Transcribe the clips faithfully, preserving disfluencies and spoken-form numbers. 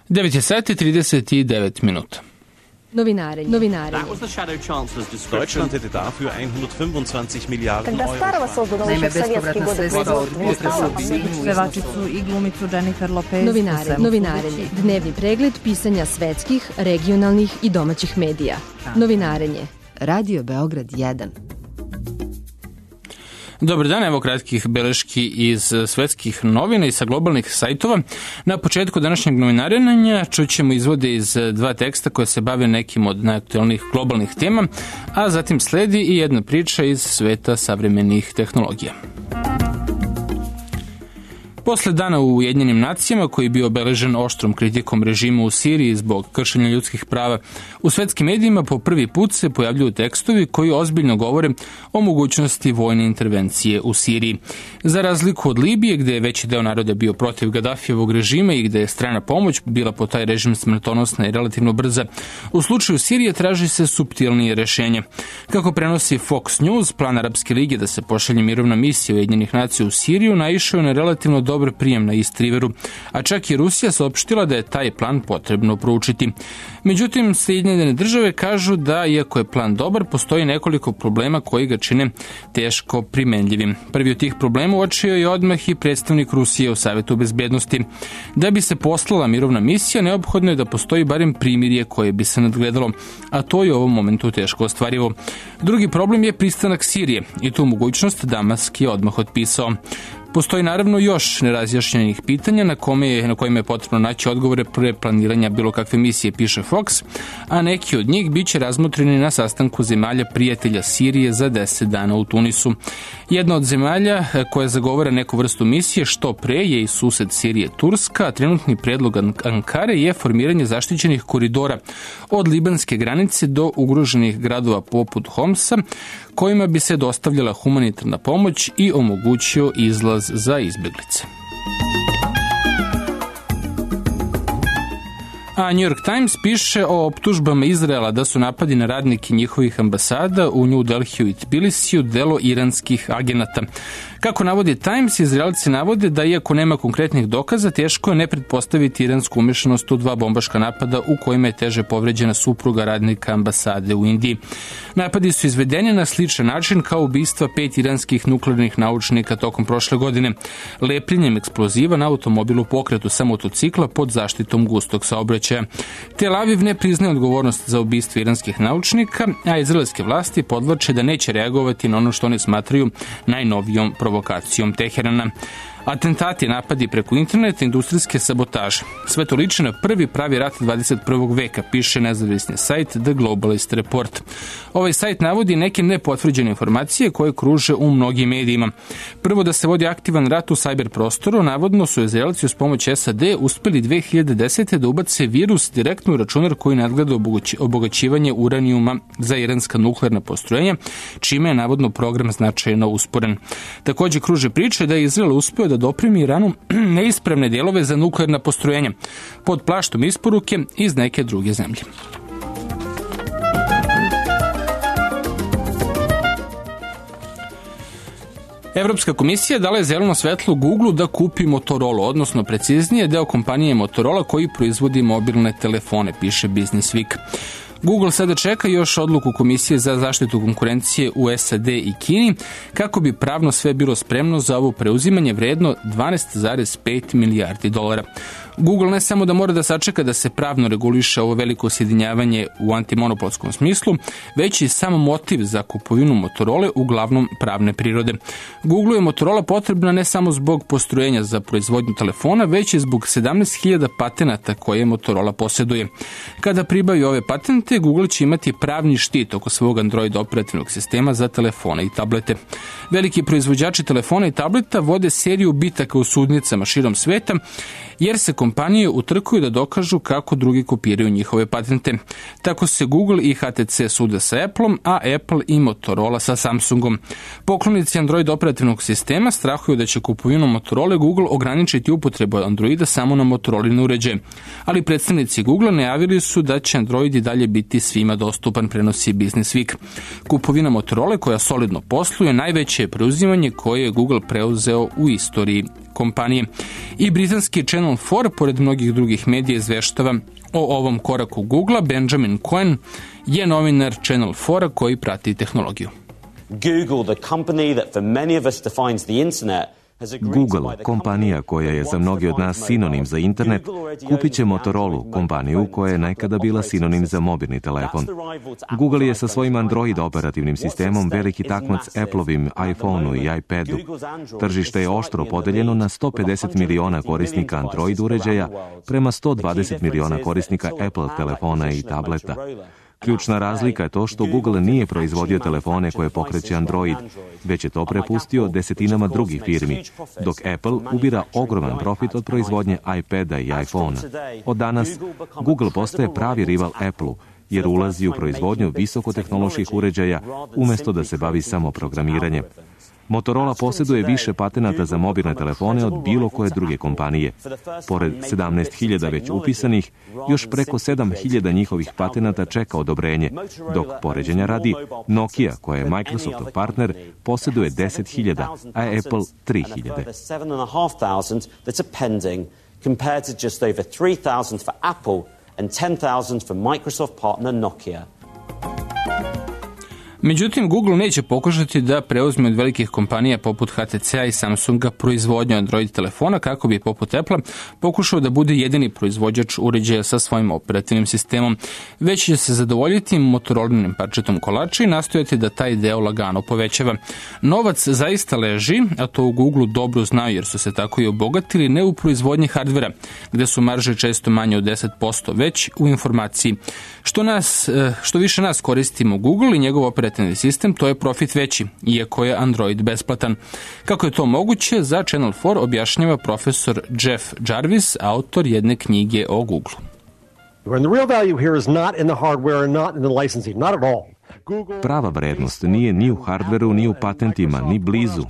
devet sati i trideset devet minuta. Novinarenje. Novinarenje. Deutschland hätte dafür hundertfünfundzwanzig Miliarden Euro. Naime, bespovratna sredstva od unutrašnjeg pevačicu i glumicu Jennifer Lopez. Novinarenje. Novinarenje. Dnevni pregled pisanja svetskih, regionalnih i domaćih medija. Novinarenje. Radio Beograd jedan. Dobar dan, evo kratkih beleški iz svetskih novina i sa globalnih sajtova. Na početku današnjeg novinarenja čućemo izvode iz dva teksta koje se bave nekim od najaktuelnijih globalnih tema, a zatim sledi i jedna priča iz sveta savremenih tehnologija. Posle dana u Ujedinjenim nacijama, koji je bio obeležen oštrom kritikom režima u Siriji zbog kršenja ljudskih prava, u svetskim medijima po prvi put se pojavljuju tekstovi koji ozbiljno govore o mogućnosti vojne intervencije u Siriji. Za razliku od Libije, gde je veći deo naroda bio protiv Gadafijevog režima i gde je strana pomoć bila po taj režim smrtonosna i relativno brza, u slučaju Sirije traži se suptilnije rešenje. Kako prenosi Fox News, plan Arapske lige da se pošalje mirovna misija Ujedinjenih nacija u Siriju naišao na relativno dobar prijem na East Riveru, a čak i Rusija saopštila da je taj plan potrebno proučiti. Međutim, Sjedinjene države kažu da, iako je plan dobar, postoji nekoliko problema koji ga čine teško primenljivim. Prvi od tih problema uočio je odmah i predstavnik Rusije u Savetu bezbednosti. Da bi se poslala mirovna misija, neophodno je da postoji barem primirje koje bi se nadgledalo, a to je u ovom momentu teško ostvarivo. Drugi problem je pristanak Sirije i tu mogućnost Damask je odmah otpisao. Postoji naravno još nerazjašnjenih pitanja na, kome je, na kojima je potrebno naći odgovore pre planiranja bilo kakve misije, piše Fox, a neki od njih biće razmotreni na sastanku zemalja prijatelja Sirije za deset dana u Tunisu. Jedna od zemalja koja zagovara neku vrstu misije što pre je i sused Sirije Turska, a trenutni predlog Ankare je formiranje zaštićenih koridora od libanske granice do ugroženih gradova poput Homsa, kojima bi se dostavljala humanitarna pomoć i omogućio izlaz za izbeglice. A New York Times piše o optužbama Izraela da su napadi na radnike njihovih ambasada u New Delhiju i Tbilisiju delo iranskih agenata. Kako navodi Times, Izraelci navode da iako nema konkretnih dokaza, teško je ne pretpostaviti iransku umešanost u dva bombaška napada u kojima je teže povređena supruga radnika ambasade u Indiji. Napadi su izvedeni na sličan način kao ubistva pet iranskih nuklearnih naučnika tokom prošle godine, lepljenjem eksploziva na automobilu pokretu sa motocikla pod zaštitom gustog saobraćaja. Tel Aviv ne priznaje odgovornost za ubistvo iranskih naučnika, a izraelske vlasti podvlače da neće reagovati na ono što oni smatraju najnovijom provokacijom Teherana. Atentati, napadi preko interneta, industrijske sabotaže. Sve to liči na prvi pravi rat dvadeset prvog veka, piše nezavisni sajt The Globalist Report. Ovaj sajt navodi neke nepotvrđene informacije koje kruže u mnogim medijima. Prvo, da se vodi aktivan rat u sajber prostoru, navodno su Izraelci uz pomoć S A D uspeli dve hiljade desete da ubace virus direktno u računar koji nadgleda obogaćivanje uranijuma za iranska nuklearna postrojenja, čime je navodno program značajno usporen. Takođe kruže priče da je Izrael uspeo da dopremi Iranu neispravne dijelove za nuklearna postrojenja pod plaštom isporuke iz neke druge zemlje. Evropska komisija dala je zeleno svetlo Google da kupi Motorola, odnosno preciznije deo kompanije Motorola koji proizvodi mobilne telefone, piše Business Week. Google sada čeka još odluku Komisije za zaštitu konkurencije u S A D i Kini kako bi pravno sve bilo spremno za ovo preuzimanje vredno dvanaest zarez pet milijardi dolara. Google ne samo da mora da sačeka da se pravno reguliše ovo veliko sjedinjavanje u antimonopolskom smislu, već i sam motiv za kupovinu Motorola uglavnom pravne prirode. Google je Motorola potrebna ne samo zbog postrojenja za proizvodnju telefona, već i zbog sedamnaest hiljada patenata koje Motorola posjeduje. Kada pribavi ove patente, Google će imati pravni štit oko svog Android operativnog sistema za telefone i tablete. Veliki proizvođači telefona i tableta vode seriju bitaka u sudnicama širom sveta, jer se kompanije utrkuju da dokažu kako drugi kopiraju njihove patente. Tako se Google i H T C sude sa Appleom, a Apple i Motorola sa Samsungom. Poklonici Android operativnog sistema strahuju da će kupovinom Motorola Google ograničiti upotrebu Androida samo na Motorolin uređaje. Ali predstavnici Google najavili su da će Android i dalje biti svima dostupan, prenosi Business Week. Kupovina Motorola, koja solidno posluje, najveće je preuzimanje koje je Google preuzeo u istoriji kompanije. I britanski Channel Channel četiri, pored mnogih drugih medija, izveštava o ovom koraku Googlea. Benjamin Cohen je novinar Channel četiri koji prati tehnologiju. Google, the company that for many of us defines the internet, Google, kompanija koja je za mnogi od nas sinonim za internet, kupit će Motorola, kompaniju koja je nekada bila sinonim za mobilni telefon. Google je sa svojim Android operativnim sistemom veliki takmac Appleovim iPhoneu i iPadu. Tržište je oštro podeljeno na sto pedeset miliona korisnika Android uređaja prema sto dvadeset miliona korisnika Apple telefona i tableta. Ključna razlika je to što Google nije proizvodio telefone koje pokreće Android, već je to prepustio desetinama drugih firmi, dok Apple ubira ogroman profit od proizvodnje iPada i iPhona. Od danas, Google postaje pravi rival Apple-u, jer ulazi u proizvodnju visokotehnoloških uređaja umjesto da se bavi samo programiranjem. Motorola posjeduje više patenata za mobilne telefone od bilo koje druge kompanije. Pored sedamnaest hiljada već upisanih, još preko sedam hiljada njihovih patenata čeka odobrenje, dok poređenja radi Nokia, koja je Microsoftov partner, posjeduje deset hiljada, a Apple tri hiljade. Compared to just over three thousand for Apple and ten thousand for Microsoft partner Nokia. Međutim, Google neće pokušati da preuzme od velikih kompanija poput H T C-a i Samsunga proizvodnju Android telefona kako bi poput Apple pokušao da bude jedini proizvođač uređaja sa svojim operativnim sistemom, već će se zadovoljiti Motorolinim parčetom kolača i nastojati da taj deo lagano povećava. Novac zaista leži, a to u Google dobro znaju jer su se tako i obogatili, ne u proizvodnji hardvera, gde su marže često manje od deset posto, već u informaciji. Što, nas, što više nas koristimo Google i njegov operativni sistem, to je profit veći, iako je Android besplatan. Kako je to moguće, za Channel četiri objašnjava profesor Jeff Jarvis, autor jedne knjige o Google. Prava vrednost nije ni u hardveru, ni u patentima, ni blizu.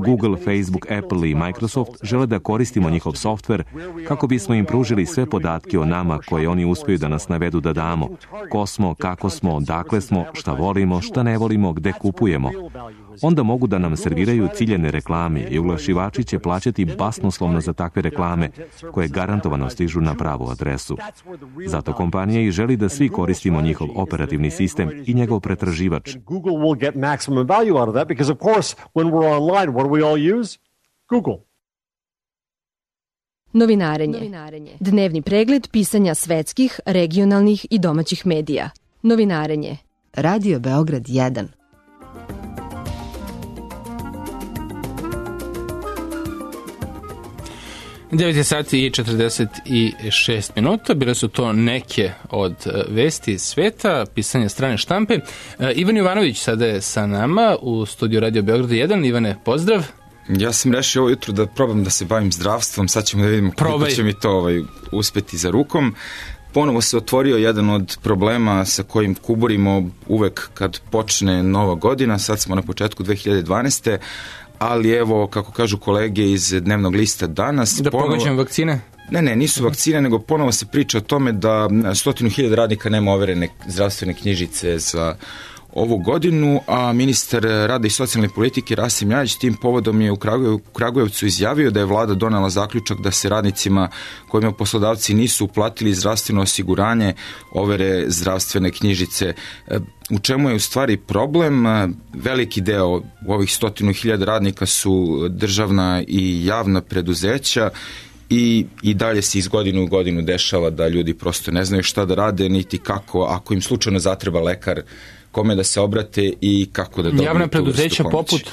Google, Facebook, Apple i Microsoft žele da koristimo njihov softver kako bismo im pružili sve podatke o nama koje oni uspiju da nas navedu da damo. Ko smo, kako smo, dakle smo, šta volimo, šta ne volimo, gde kupujemo. Onda mogu da nam serviraju ciljene reklame i oglašivači će plaćati basnoslovno za takve reklame koje garantovano stižu na pravu adresu. Zato kompanija i želi da svi koristimo njihov operativni sistem i njegov pretraživač. Google will get maximum value out of that because of course when we're online what do we all use? Google. Novinarenje. Dnevni pregled pisanja svetskih, regionalnih i domaćih medija. Novinarenje. Radio Beograd jedan. devet sati i četrdeset šest minuta, bile su to neke od vesti iz sveta, pisanja strane štampe. Ivan Jovanović sada je sa nama u studiju Radio Beograd jedan. Ivane, pozdrav. Ja sam rešio ovo jutro da probam da se bavim zdravstvom, sad ćemo da vidimo kako će mi to ovaj, uspeti za rukom. Ponovo se otvorio jedan od problema sa kojim kuburimo uvek kad počne nova godina, sad smo na početku dve hiljade dvanaeste. Ali evo, kako kažu kolege iz dnevnog lista danas... Da ponovo... pogađam vakcine? Ne, ne, nisu vakcine, nego ponovo se priča o tome da stotinu hiljada radnika nema overene zdravstvene knjižice za ovu godinu, a ministar rada i socijalne politike Rasim Ljajić tim povodom je u Kragujevcu izjavio da je vlada donela zaključak da se radnicima kojima poslodavci nisu uplatili zdravstveno osiguranje overe zdravstvene knjižice. U čemu je u stvari problem? Veliki deo u ovih stotinu hiljada radnika su državna i javna preduzeća i, i dalje se iz godine u godinu dešava da ljudi prosto ne znaju šta da rade, niti kako, ako im slučajno zatreba lekar, kome da se obrate i kako da dobiju. Javna preduzeća poput,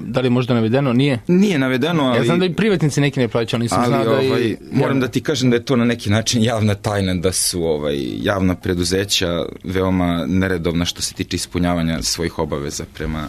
da li je možda navedeno, nije? Nije navedeno, ali... Ja znam da i privatnici neki ne plaćaju, ali nisam ali, znao da ovaj, i... Moram da ti kažem da je to na neki način javna tajna, da su ovaj, javna preduzeća veoma neredovna što se tiče ispunjavanja svojih obaveza prema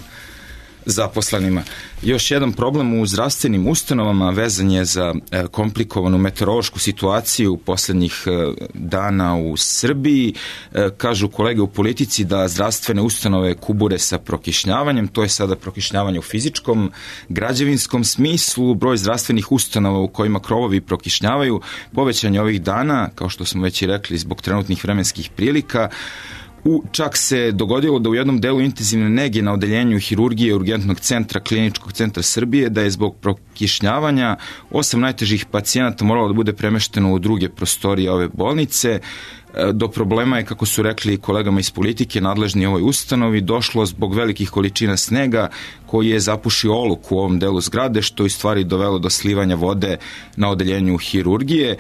zaposlenima. Još jedan problem u zdravstvenim ustanovama vezan je za e, komplikovanu meteorološku situaciju poslednjih e, dana u Srbiji. E, kažu kolege u politici da zdravstvene ustanove kubure sa prokišnjavanjem, to je sada prokišnjavanje u fizičkom, građevinskom smislu, broj zdravstvenih ustanova u kojima krovovi prokišnjavaju, povećanje ovih dana, kao što smo već i rekli, zbog trenutnih vremenskih prilika. U, čak se dogodilo da u jednom delu intenzivne nege na odeljenju hirurgije urgentnog centra Kliničkog centra Srbije da je zbog prokišnjavanja osam najtežih pacijenata moralo da bude premešteno u druge prostorije ove bolnice. Do problema je, kako su rekli kolegama iz politike, nadležni ovoj ustanovi, došlo zbog velikih količina snega koji je zapušio oluk u ovom delu zgrade, što je u stvari dovelo do slivanja vode na odeljenju hirurgije.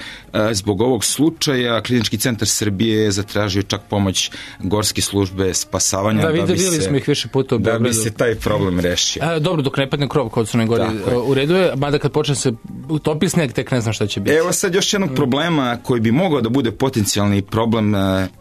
Zbog ovog slučaja Klinički centar Srbije je zatražio čak pomoć gorske službe spasavanja da, da, videli, bi, se, smo ih više puta u da bi se taj problem rešio. A, dobro, dok ne padne krov kod Crnoj Gori u redu je, mada kad počne se utopi sneg, tek ne znam šta će biti. Evo sad još jednog problema koji bi mogao da bude potencijalni problem,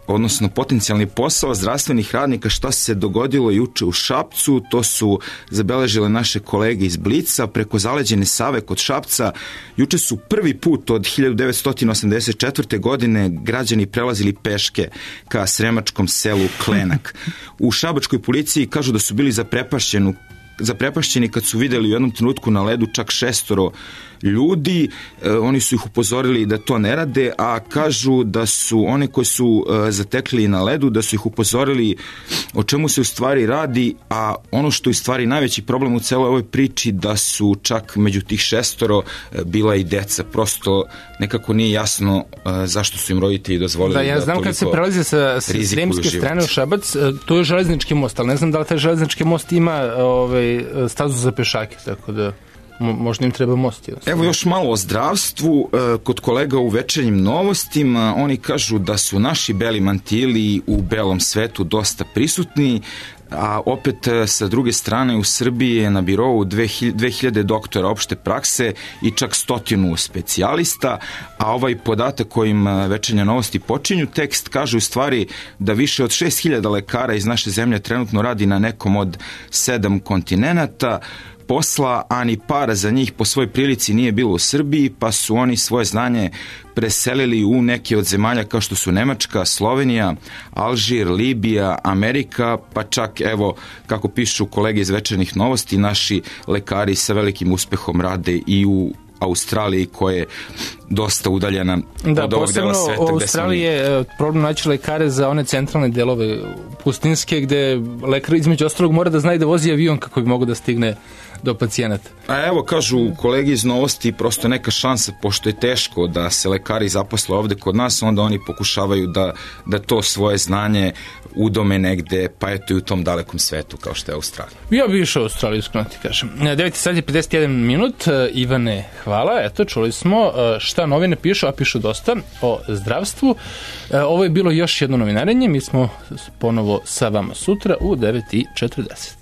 odnosno potencijalni posao zdravstvenih radnika, šta se dogodilo juče u Šapcu. To su zabeležile naše kolege iz Blica. Preko zaleđene Save kod Šapca juče su prvi put od hiljadu devetsto osamdeset četvrte. godine građani prelazili peške ka sremačkom selu Klenak. U šabačkoj policiji kažu da su bili zaprepašćeni zaprepašćeni kad su videli u jednom trenutku na ledu čak šestoro ljudi. E, oni su ih upozorili da to ne rade, a kažu da su oni koji su e, zatekli na ledu, da su ih upozorili o čemu se u stvari radi, a ono što je u stvari najveći problem u celoj ovoj priči da su čak među tih šestoro e, bila i deca. Prosto nekako nije jasno e, zašto su im roditelji dozvolili da, ja znam da kad se prelazi sa sremske strane u Šabac, to je železnički most, ali ne znam da li taj železnički most ima ovaj, stazu za pešake, tako da možda im treba most. Evo još malo o zdravstvu. Kod kolega u Večernjim novostima oni kažu da su naši beli mantili u belom svetu dosta prisutni, a opet sa druge strane u Srbiji je na birou dve hiljade doktora opšte prakse i čak stotinu specijalista, a ovaj podatak kojim Večernje novosti počinju tekst kaže u stvari da više od šest hiljada lekara iz naše zemlje trenutno radi na nekom od sedam kontinenata. Posla, a ni para za njih po svoj prilici nije bilo u Srbiji, pa su oni svoje znanje preselili u neke od zemalja kao što su Nemačka, Slovenija, Alžir, Libija, Amerika, pa čak, evo, kako pišu kolege iz Večernjih novosti, naši lekari sa velikim uspehom rade i u Australiji, koja je dosta udaljena da, od ovog dela sveta. Da, posebno u Australiji je problem naći lekare za one centralne delove pustinske, gde lekar između ostalog mora da zna i da vozi avion kako bi mogo da stigne do pacijenata. A evo, kažu kolegi iz novosti, prosto neka šansa, pošto je teško da se lekari zaposle ovde kod nas, onda oni pokušavaju da, da to svoje znanje udome negde, pa eto i u tom dalekom svetu kao što je Australija. Ja bi išao u Australiju, iskreno ti kažem. devet sati i pedeset jedan minut. Ivane, hvala. Eto, čuli smo šta novine pišu, a pišu dosta o zdravstvu. Ovo je bilo još jedno novinarenje. Mi smo ponovo sa vama sutra u devet i četrdeset.